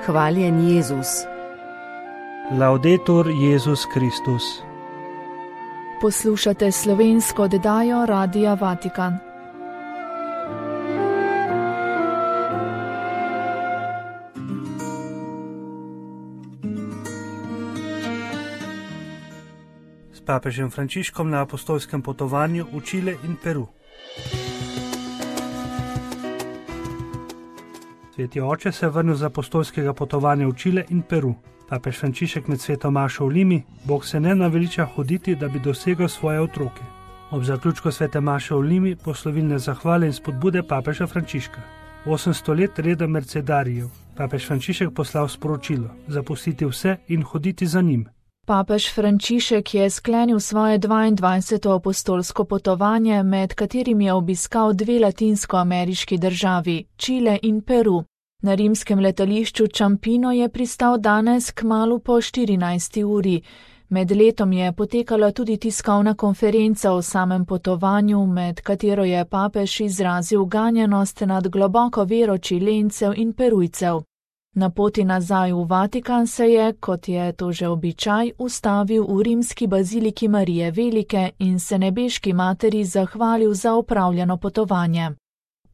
Hvaljen Jezus. Laudetur Jezus Kristus. Poslušate slovensko oddajo Radia Vatikan. S papežem Frančiškom na apostolskem potovanju v Čile in Peru. Sveti oče se je vrnil z apostolskega potovanja v Čile in Peru. Papež Frančišek med sveto mašo v Limi, Bog se ne naveliča hoditi, da bi dosegel svoje otroke. Ob zaključku svete maše v Limi poslovilne zahvale in spodbude papeža Frančiška. 800 let reda mercedarijev. Papež Frančišek poslal sporočilo: zapustiti vse in hoditi za njim. Papež Frančišek je sklenil svoje 22. apostolsko potovanje, med katerim je obiskal dve latinskoameriški državi, Čile in Peru. Na rimskem letališču Čampino je pristal danes kmalu po 14. uri. Med letom je potekala tudi tiskovna konferenca o samem potovanju, med katero je papež izrazil ganjenost nad globoko vero Čilencev in Perujcev. Na poti nazaj v Vatikan se je, kot je to že običaj, ustavil v rimski baziliki Marije Velike in se nebeški materi zahvalil za opravljeno potovanje.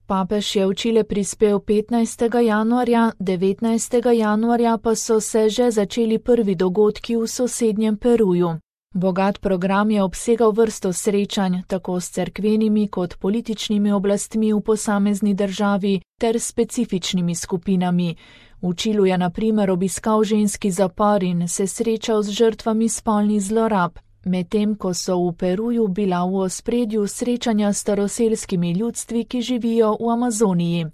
Papež je v Čile prispel 15. januarja, 19. januarja pa so se že začeli prvi dogodki v sosednjem Peruju. Bogat program je obsegal vrsto srečanj, tako s cerkvenimi kot političnimi oblastmi v posamezni državi ter specifičnimi skupinami. V Čilu je na primer obiskal ženski zapor in se srečal z žrtvami spolnih zlorab, medtem ko so v Peruju bila v ospredju srečanja s staroselskimi ljudstvi, ki živijo v Amazoniji.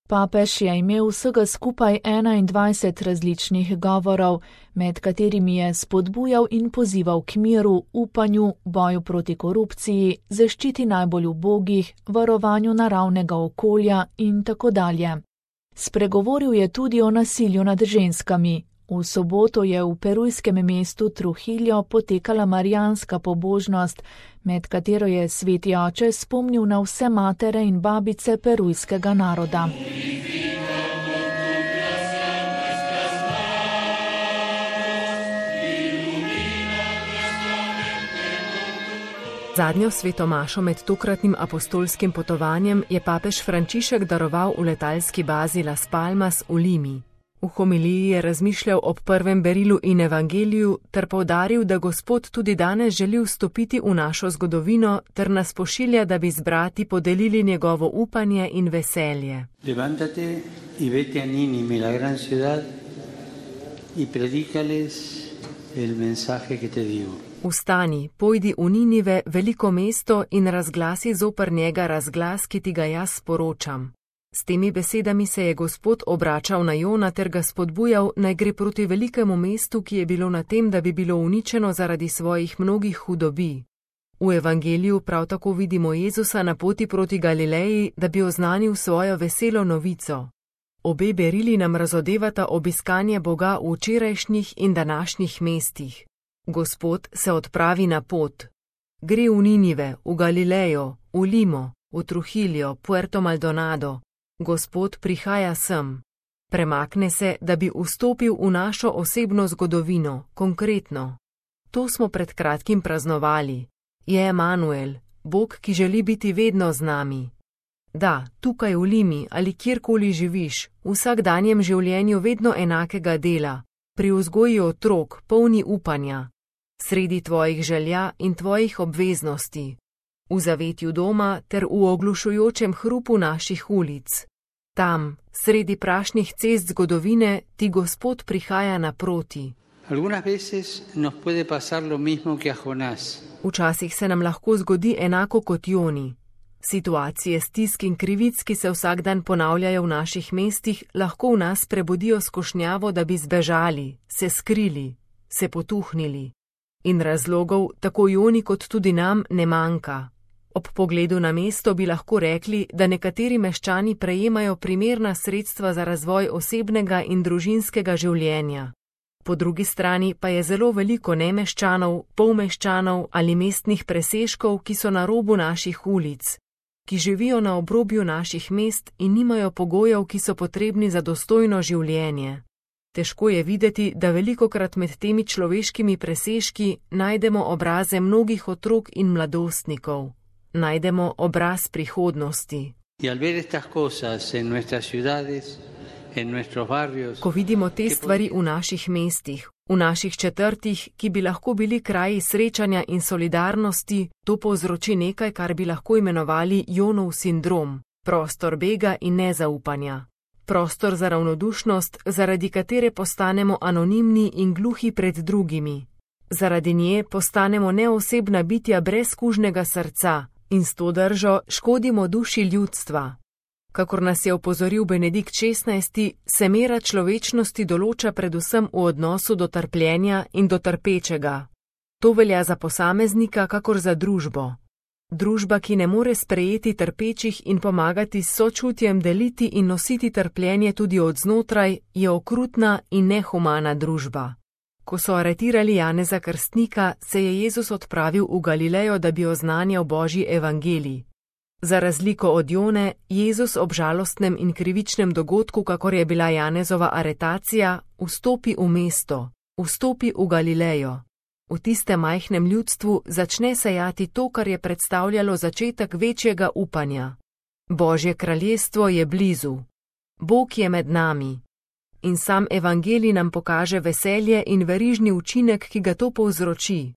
Papež je imel vsega skupaj 21 različnih govorov, med katerimi je spodbujal in pozival k miru, upanju, boju proti korupciji, zaščiti najbolj ubogih, varovanju naravnega okolja in tako dalje. Spregovoril je tudi o nasilju nad ženskami. V soboto je v perujskem mestu Trujillo potekala marijanska pobožnost, med katero je sveti oče spomnil na vse matere in babice perujskega naroda. Zadnjo sveto mašo med tokratnim apostolskim potovanjem je papež Frančišek daroval v letalski bazi Las Palmas v Limi. V homiliji je razmišljal ob prvem berilu in evangeliju ter poudaril, da Gospod tudi danes želi vstopiti v našo zgodovino ter nas pošilja, da bi z brati podelili njegovo upanje in veselje. Levántate y vete a Nínive, la gran ciudad, y predícales el mensaje que te digo. Vstani, pojdi v Ninive, veliko mesto, in razglasi zoper njega razglas, ki ti ga jaz sporočam. S temi besedami se je Gospod obračal na Jona ter ga spodbujal, naj gre proti velikemu mestu, ki je bilo na tem, da bi bilo uničeno zaradi svojih mnogih hudobi. V evangeliju prav tako vidimo Jezusa na poti proti Galileji, da bi oznanil svojo veselo novico. Obe berili nam razodevata obiskanje Boga v včerajšnjih in današnjih mestih. Gospod se odpravi na pot. Gre v Ninive, v Galilejo, v Limo, v Trujillo, Puerto Maldonado. Gospod prihaja sem. Premakne se, da bi vstopil v našo osebno zgodovino, konkretno. To smo pred kratkim praznovali. Je Emanuel, Bog, ki želi biti vedno z nami. Da, tukaj v Limi ali kjerkoli živiš, v vsakdanjem življenju vedno enakega dela, pri vzgoji otrok, polni upanja, sredi tvojih želja in tvojih obveznosti, v zavetju doma ter v oglušujočem hrupu naših ulic. Tam, sredi prašnih cest zgodovine, ti Gospod prihaja naproti. Včasih se nam lahko zgodi enako kot Joni. Situacije stisk in krivic, ki se vsak dan ponavljajo v naših mestih, lahko v nas prebudijo skušnjavo, da bi zbežali, se skrili, se potuhnili. In razlogov, tako Joni kot tudi nam, ne manjka. Ob pogledu na mesto bi lahko rekli, da nekateri meščani prejemajo primerna sredstva za razvoj osebnega in družinskega življenja. Po drugi strani pa je zelo veliko nemeščanov, polmeščanov ali mestnih presežkov, ki so na robu naših ulic, ki živijo na obrobju naših mest in nimajo pogojev, ki so potrebni za dostojno življenje. Težko je videti, da velikokrat med temi človeškimi presežki najdemo obraze mnogih otrok in mladostnikov. Najdemo obraz prihodnosti. Ko vidimo te stvari v naših mestih, v naših četrtih, ki bi lahko bili kraji srečanja in solidarnosti, to povzroči nekaj, kar bi lahko imenovali Jonov sindrom, prostor bega in nezaupanja. Prostor za ravnodušnost, zaradi katere postanemo anonimni in gluhi pred drugimi. Zaradi nje postanemo neosebna bitja brez kužnega srca in s to držo škodimo duši ljudstva. Kakor nas je opozoril Benedikt XVI, se mera človečnosti določa predvsem v odnosu do trpljenja in do trpečega. To velja za posameznika kakor za družbo. Družba, ki ne more sprejeti trpečih in pomagati s sočutjem deliti in nositi trpljenje tudi od znotraj, je okrutna in nehumana družba. Ko so aretirali Janeza Krstnika, se je Jezus odpravil v Galilejo, da bi oznanjal Božji evangelij. Za razliko od Jone, Jezus ob žalostnem in krivičnem dogodku, kakor je bila Janezova aretacija, vstopi v mesto, vstopi v Galilejo. V tistem majhnem ljudstvu začne sejati to, kar je predstavljalo začetek večjega upanja. Božje kraljestvo je blizu. Bog je med nami. In sam evangelij nam pokaže veselje in verižni učinek, ki ga to povzroči.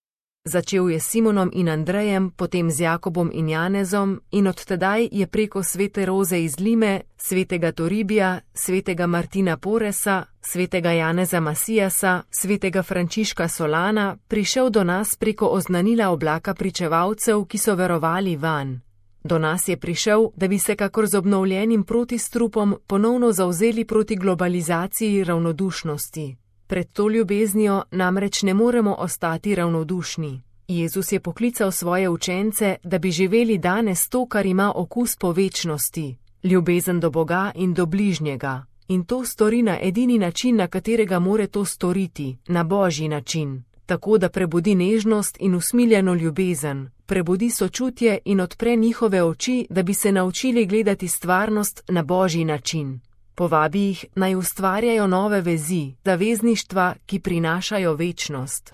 Začel je s Simonom in Andrejem, potem z Jakobom in Janezom in od tedaj je preko svete Roze iz Lime, svetega Toribija, svetega Martina Poresa, svetega Janeza Masijasa, svetega Frančiška Solana prišel do nas preko oznanila oblaka pričevalcev, ki so verovali vanj. Do nas je prišel, da bi se kakor z obnovljenim protistrupom ponovno zavzeli proti globalizaciji ravnodušnosti. Pred to ljubeznijo namreč ne moremo ostati ravnodušni. Jezus je poklical svoje učence, da bi živeli danes to, kar ima okus po večnosti, ljubezen do Boga in do bližnjega. In to stori na edini način, na katerega more to storiti, na Božji način. Tako da prebudi nežnost in usmiljeno ljubezen, prebudi sočutje in odpre njihove oči, da bi se naučili gledati stvarnost na Božji način. Povabi jih, naj ustvarjajo nove vezi, zavezništva, ki prinašajo večnost.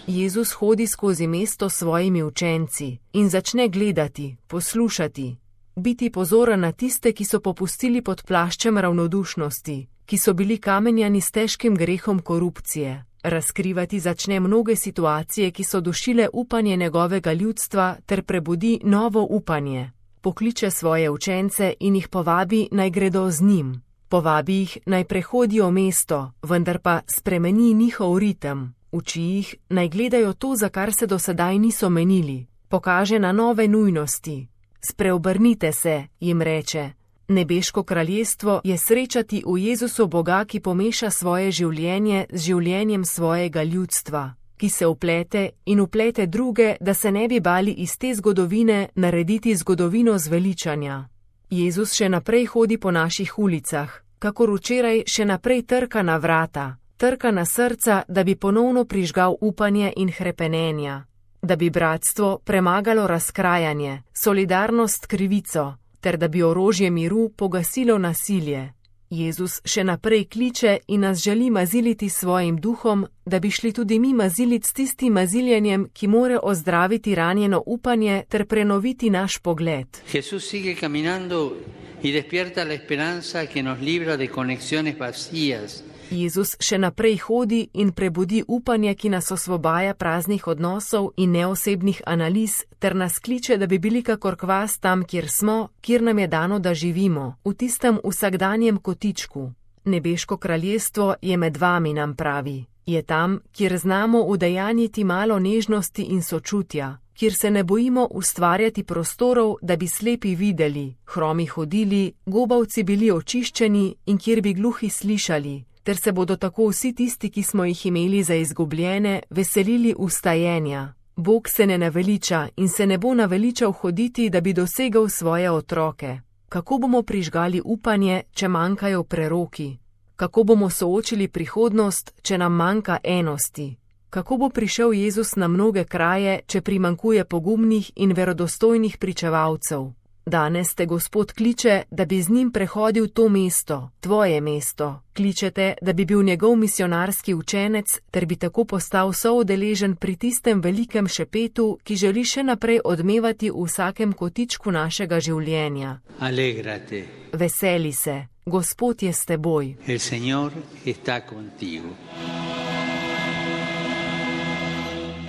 Jezus hodi skozi mesto s svojimi učenci in začne gledati, poslušati, biti pozoren na tiste, ki so popustili pod plaščem ravnodušnosti, ki so bili kamenjani s težkim grehom korupcije. Razkrivati začne mnoge situacije, ki so dušile upanje njegovega ljudstva ter prebudi novo upanje. Pokliče svoje učence in jih povabi, naj gredo z njim. Povabi jih, naj prehodijo mesto, vendar pa spremeni njihov ritem. Uči jih, naj gledajo to, za kar se do sedaj niso menili. Pokaže na nove nujnosti. Spreobrnite se, jim reče. Nebeško kraljestvo je srečati v Jezusu Boga, ki pomeša svoje življenje z življenjem svojega ljudstva, ki se vplete in vplete druge, da se ne bi bali iz te zgodovine narediti zgodovino zveličanja. Jezus še naprej hodi po naših ulicah, kakor včeraj še naprej trka na vrata, trka na srca, da bi ponovno prižgal upanje in hrepenenja, da bi bratstvo premagalo razkrajanje, solidarnost krivico, ter da bi orožje miru pogasilo nasilje. Jezus še naprej kliče in nas želi maziliti svojim duhom, da bi šli tudi mi maziliti s tistim maziljenjem, ki more ozdraviti ranjeno upanje ter prenoviti naš pogled. Jesús sigue caminando y despierta la esperanza que nos libra de conexiones vacías. Jezus še naprej hodi in prebudi upanje, ki nas osvobaja praznih odnosov in neosebnih analiz, ter nas kliče, da bi bili kakor kvas tam, kjer smo, kjer nam je dano, da živimo, v tistem vsakdanjem kotičku. Nebeško kraljestvo je med vami, nam pravi. Je tam, kjer znamo udejanjiti malo nežnosti in sočutja, kjer se ne bojimo ustvarjati prostorov, da bi slepi videli, hromi hodili, gobavci bili očiščeni in kjer bi gluhi slišali, ter se bodo tako vsi tisti, ki smo jih imeli za izgubljene, veselili vstajenja. Bog se ne naveliča in se ne bo naveličal hoditi, da bi dosegal svoje otroke. Kako bomo prižgali upanje, če manjkajo preroki? Kako bomo soočili prihodnost, če nam manjka enosti? Kako bo prišel Jezus na mnoge kraje, če primanjkuje pogumnih in verodostojnih pričevalcev? Danes te Gospod kliče, da bi z njim prehodil to mesto, tvoje mesto. Kličete, da bi bil njegov misionarski učenec, ter bi tako postal soudeležen pri tistem velikem šepetu, ki želi še naprej odmevati v vsakem kotičku našega življenja. Alegrate. Veseli se, Gospod je s teboj. El Señor está contigo.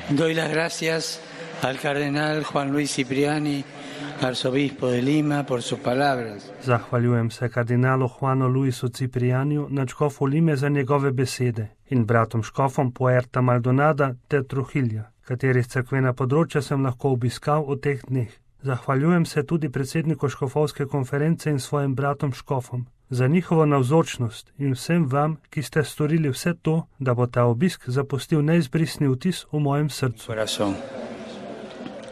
Doy las gracias al cardenal Juan Luis Cipriani, arzobispo de Lima, por sus palabras. Zahvaljujem se kardinalu Juanu Luisu Ciprianiju, nadškofu Lime, za njegove besede in bratom škofom Puerta Maldonada ter Trujilja, katerih cerkvena področja sem lahko obiskal v teh dneh. Zahvaljujem se tudi predsedniku škofovske konference in svojim bratom škofom za njihovo navzočnost in vsem vam, ki ste storili vse to, da bo ta obisk zapustil neizbrisni vtis v mojem srcu.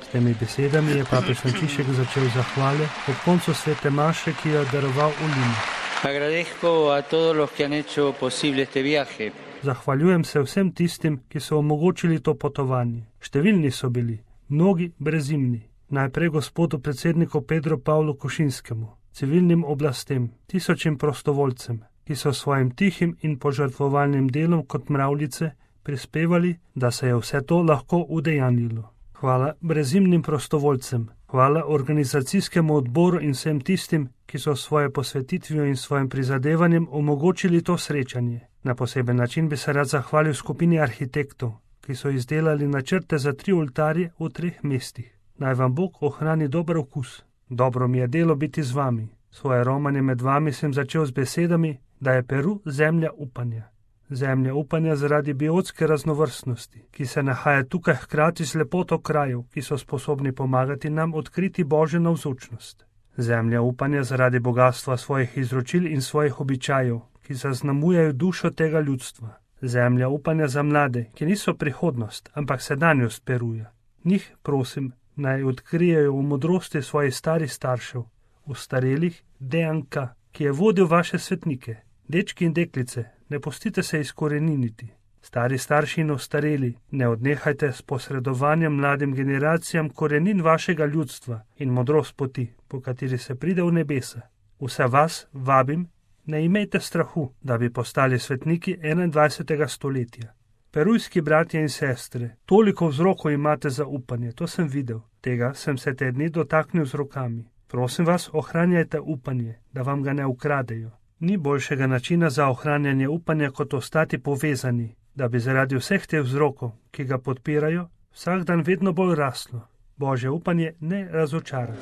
S temi besedami je papež Frančišek začel zahvale ob koncu svete maše, ki jo je daroval v Limi. Agradezco a todos los que han hecho posible este viaje. Zahvaljujem se vsem tistim, ki so omogočili to potovanje. Številni so bili, mnogi brezimni. Najprej gospodu predsedniku Pedro Pavlu Košinskemu, civilnim oblastem, tisočim prostovoljcem, ki so svojim tihim in požrtvovalnim delom kot mravljice prispevali, da se je vse to lahko udejanjilo. Hvala brezimnim prostovoljcem, hvala organizacijskemu odboru in vsem tistim, ki so svoje posvetitvijo in svojim prizadevanjem omogočili to srečanje. Na poseben način bi se rad zahvalil skupini arhitektov, ki so izdelali načrte za 3 oltarje v 3 mestih. Naj vam Bog ohrani dober okus. Dobro mi je delo biti z vami. Svoje romanje med vami sem začel z besedami, da je Peru zemlja upanja. Zemlja upanja zaradi biotske raznovrstnosti, ki se nahaja tukaj hkrati z lepoto krajev, ki so sposobni pomagati nam odkriti Božjo navzočnost. Zemlja upanja zaradi bogatstva svojih izročil in svojih običajev, ki zaznamujejo dušo tega ljudstva. Zemlja upanja za mlade, ki niso prihodnost, ampak sedanjost Peruja. Njih prosim, naj odkrijejo v modrosti svojih starih staršev, v starelih DNK, ki je vodil vaše svetnike. Dečki in deklice, ne pustite se izkoreniniti. Stari starši in ostareli, ne odnehajte s posredovanjem mladim generacijam korenin vašega ljudstva in modrost poti, po kateri se pride v nebesa. Vse vas vabim, ne imejte strahu, da bi postali svetniki 21. stoletja. Perujski bratje in sestre, toliko vzrokov imate za upanje, to sem videl. Tega sem se te dni dotaknil z rokami. Prosim vas, ohranjajte upanje, da vam ga ne ukradejo. Ni boljšega načina za ohranjanje upanja, kot ostati povezani, da bi zaradi vseh teh vzrokov, ki ga podpirajo, vsak dan vedno bolj raslo. Božje upanje ne razočara.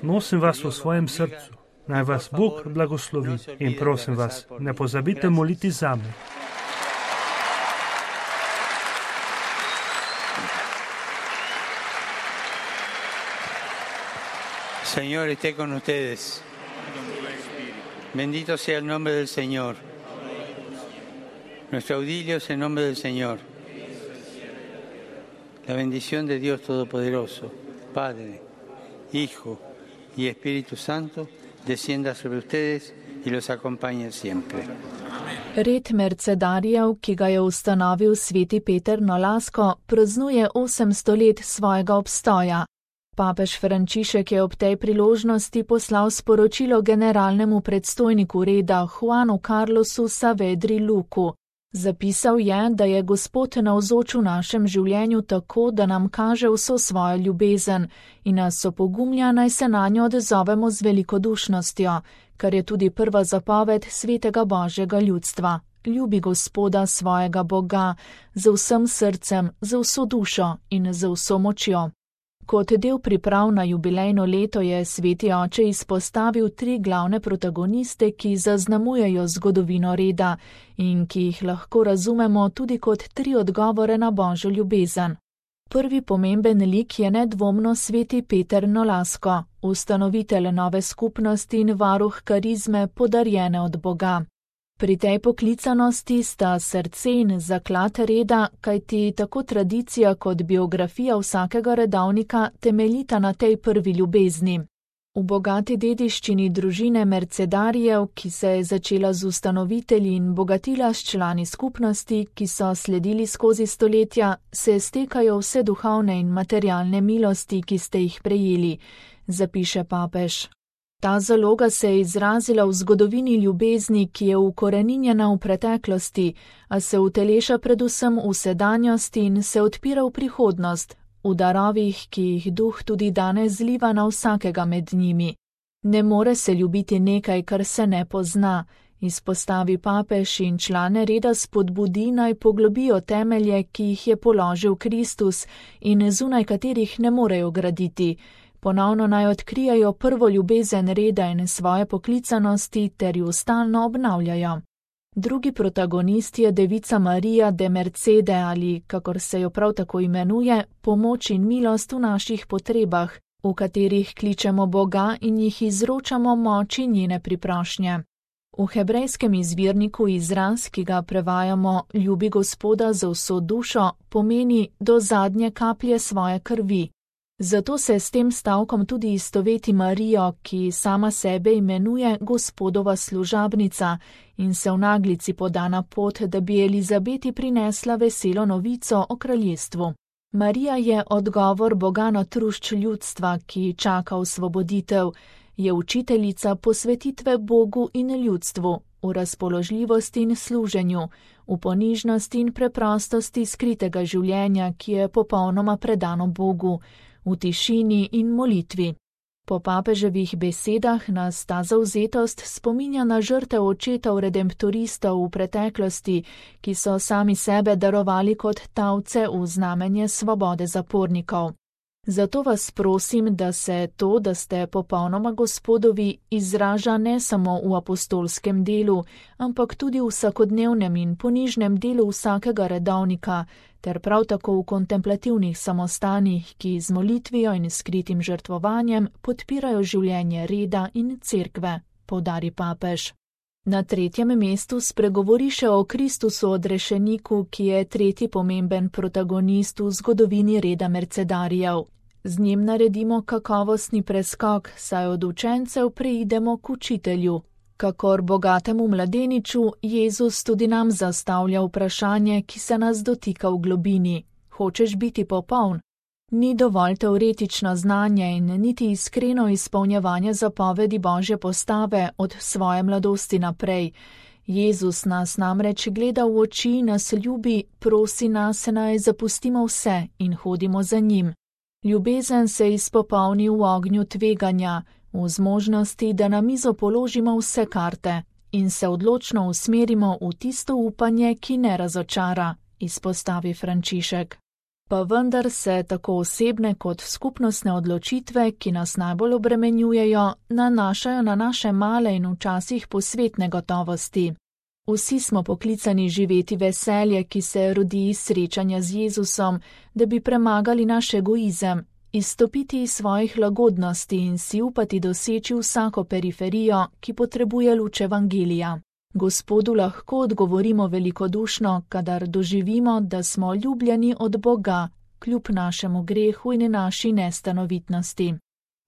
Nosim vas v svojem srcu. Naj vas Bog blagoslovi in prosim vas, ne pozabite moliti zame. Señor, esté con ustedes. Bendito sea el nombre del Señor. Nuestro auxilio es el nombre del Señor. La bendición de Dios Todopoderoso, Padre, Hijo y Espíritu Santo, descienda sobre ustedes y los acompañe siempre. Red mercedarjev, ki ga je ustanovil sveti Peter Nolasco, praznuje 800 let svojega obstoja. Papež Frančišek je ob tej priložnosti poslal sporočilo generalnemu predstojniku reda Juanu Carlosu Saavedri Luku. Zapisal je, da je Gospod navzoč v našem življenju tako, da nam kaže vso svojo ljubezen in nas opogumlja, naj se nanjo odzovemo z velikodušnostjo, kar je tudi prva zapoved svetega Božjega ljudstva. Ljubi Gospoda svojega Boga z vsem srcem, z vso dušo in z vso močjo. Kot del priprav na jubilejno leto je sveti oče izpostavil 3 glavne protagoniste, ki zaznamujejo zgodovino reda in ki jih lahko razumemo tudi kot 3 odgovore na Božjo ljubezen. Prvi pomemben lik je nedvomno sveti Peter Nolasco, ustanovitelj nove skupnosti in varuh karizme, podarjene od Boga. Pri tej poklicanosti sta srce in zaklad reda, kajti tako tradicija kot biografija vsakega redovnika temeljita na tej prvi ljubezni. V bogati dediščini družine Mercedarijev, ki se je začela z ustanovitelji in bogatila s člani skupnosti, ki so sledili skozi stoletja, se stekajo vse duhovne in materialne milosti, ki ste jih prejeli, zapiše papež. Ta zaloga se je izrazila v zgodovini ljubezni, ki je ukoreninjena v preteklosti, a se uteleša predvsem v sedanjosti in se odpira v prihodnost, v darovih, ki jih duh tudi danes zliva na vsakega med njimi. Ne more se ljubiti nekaj, kar se ne pozna, izpostavi papež in člane reda spodbudi naj poglobijo temelje, ki jih je položil Kristus in zunaj katerih ne morejo graditi. Ponovno naj odkrijajo prvo ljubezen reda in svoje poklicanosti ter ju stalno obnavljajo. Drugi protagonist je devica Marija de Mercede ali, kakor se jo prav tako imenuje, pomoč in milost v naših potrebah, v katerih kličemo Boga in jih izročamo moči njene priprošnje. V hebrejskem izvirniku izraz, ki ga prevajamo ljubi Gospoda z vso dušo, pomeni do zadnje kaplje svoje krvi. Zato se s tem stavkom tudi istoveti Marijo, ki sama sebe imenuje Gospodova služabnica in se v naglici poda na pot, da bi Elizabeti prinesla veselo novico o kraljestvu. Marija je odgovor Boga na trušč ljudstva, ki čaka osvoboditev, je učiteljica posvetitve Bogu in ljudstvu, v razpoložljivosti in služenju, v ponižnosti in preprostosti skritega življenja, ki je popolnoma predano Bogu, v tišini in molitvi. Po papeževih besedah nas ta zavzetost spominja na žrtev očetov redemptoristov v preteklosti, ki so sami sebe darovali kot talce v znamenje svobode zapornikov. Zato vas prosim, da se to, da ste popolnoma Gospodovi, izraža ne samo v apostolskem delu, ampak tudi v vsakodnevnem in ponižnem delu vsakega redovnika, ter prav tako v kontemplativnih samostanih, ki z molitvijo in skritim žrtvovanjem podpirajo življenje reda in cerkve, poudari papež. Na tretjem mestu spregovori še o Kristusu odrešeniku, ki je tretji pomemben protagonist v zgodovini reda Mercedarijev. Z njim naredimo kakovostni preskok, saj od učencev preidemo k učitelju. Kakor bogatemu mladeniču, Jezus tudi nam zastavlja vprašanje, ki se nas dotika v globini. Hočeš biti popoln? Ni dovolj teoretično znanje in niti iskreno izpolnjevanje zapovedi Božje postave od svoje mladosti naprej. Jezus nas namreč gleda v oči, nas ljubi, prosi nas, naj zapustimo vse in hodimo za njim. Ljubezen se izpopolni v ognju tveganja, v zmožnosti, da na mizo položimo vse karte in se odločno usmerimo v tisto upanje, ki ne razočara, izpostavi Frančišek. Pa vendar se tako osebne kot skupnostne odločitve, ki nas najbolj obremenjujejo, nanašajo na naše male in včasih posvetne gotovosti. Vsi smo poklicani živeti veselje, ki se rodi iz srečanja z Jezusom, da bi premagali naš egoizem, izstopiti iz svojih lagodnosti in si upati doseči vsako periferijo, ki potrebuje luč evangelija. Gospodu lahko odgovorimo velikodušno, kadar doživimo, da smo ljubljeni od Boga, kljub našemu grehu in naši nestanovitnosti.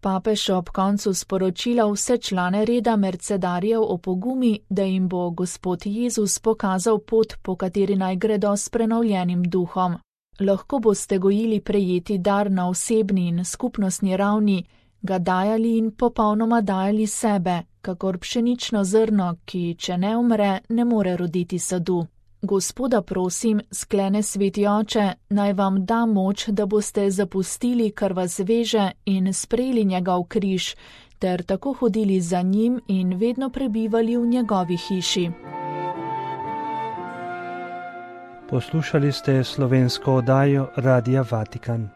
Papež ob koncu sporočila vse člane reda Mercedarijev opogumi, da jim bo Gospod Jezus pokazal pot, po kateri naj gredo s prenovljenim duhom. Lahko boste gojili prejeti dar na osebni in skupnostni ravni, ga dajali in popolnoma dajali sebe, kakor pšenično zrno, ki, če ne umre, ne more roditi sadu. Gospoda prosim, sklene Sveti Oče, naj vam da moč, da boste zapustili, kar vas veže, in sprejeli njegov križ, ter tako hodili za njim in vedno prebivali v njegovi hiši. Poslušali ste slovensko oddajo Radia Vatikan.